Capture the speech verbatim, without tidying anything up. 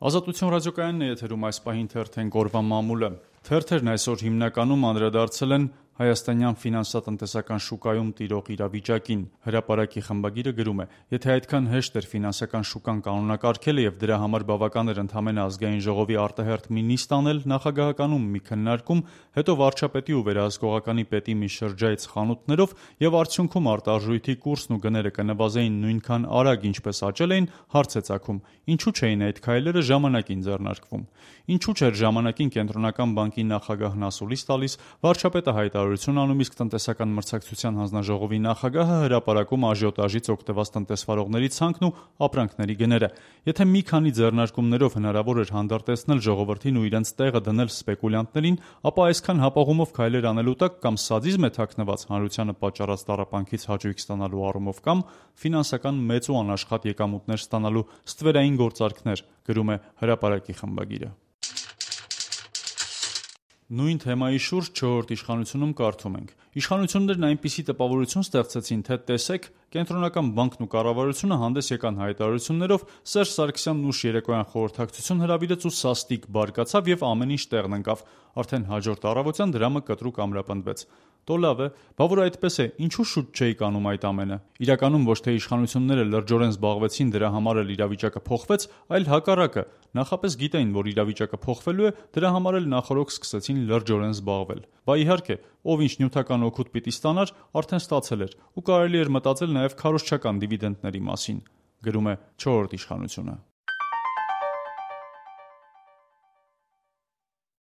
Ազատություն ռադիոկայանն է եթերում, այս պահին թերթենք օրվա մամուլը։ Թերթերն այսօր հիմնականում անդրադարձել են հայաստանյան ֆինանսատնտեսական շուկայում տիրող իրավիճակին։ Հրապարակի խմբագիրը գրում է. «Եթե այդքան հեշտ էր ֆինանսական շուկան կանոնակարգելը եւ դրա համար բավական էր ընդամենը ազգային ժողովի արտահերթ մի նիստ անել, նախագահականում մի քննարկում, հետո վարչապետի ու վերահսկողականի պետի մի շրջայց խանութներով եւ արդյունքում արտարժույթի կուրսն ու գները կնվազեին նույնքան արագ, ինչպես աճել էին, հարց է ծագում. ինչու չէին այդ քայլերը ժամանակին ձեռնարկվում։ Ինչու չէր ժամանակին կենտրոնական բանկի նախագահն ասուլիս տալիս, վարչապետը հայտարարություն անում, իսկ տնտեսական մրցակցության հանձնաժողովի նախագահը հրապարակում աժիոտաժից օգտված տնտեսվարողների ցանկն ու ապրանքների գները։ Եթե մի քանի ձեռնարկումներով հնարավոր էր հանդարտեցնել ժողովրդին ու իրենց տեղը դնել սպեկուլյանտներին, ապա այսքան հապաղումով քայլեր անելու տակ կամ սադիզմ է թաքնված հանրությանը պատճառած տառապանքից հաճույք ստանալու առումով, կամ ֆինանսական մեծ ու անաշխատ եկամուտներ ստանալու ստվերային գործարքներ», գրում է հրապարակի խմբագիրը։ Նույն թեմայի շուրջ «Չորրորդ իշխանությունում» կարդում ենք. «Իշխանություններն այնպիսի տպավորություն ստեղծեցին, թե տեսեք, կենտրոնական բանկն ու կառավարությունը հանդես եկան հայտարարություններով, Սերժ Սարգսյանն ուշ երեկոյան խորհրդակցություն հրավիրեց ու սաստիկ բարկացավ եւ ամեն ինչ տեղն ընկավ։ Արդեն հաջորդ առավոտյան դրամը կտրուկ ամրապնդվեց։ Տո լավ է, բա որ այդպես է, ինչու շուտ չէիք անում այդ ամենը։ Իրականում ոչ թե իշխանությունները լրջորեն զբաղվեցին դրա համար էլ իրավիճակը փոխվեց, այլ հակառակը, նախապես գիտեին, որ իրավիճակը փոխվելու է, դրա համար էլ նախօրոք սկսեցին լրջորեն զբաղվել։ Բա իհարկե, ով ինչ նյութական օգուտ պիտի ստանար, արդեն ստացել էր, ու կարելի էր մտածել նաև քարոզչական դիվիդենտների մասին», գրում է «Չորրորդ իշխանությունը»։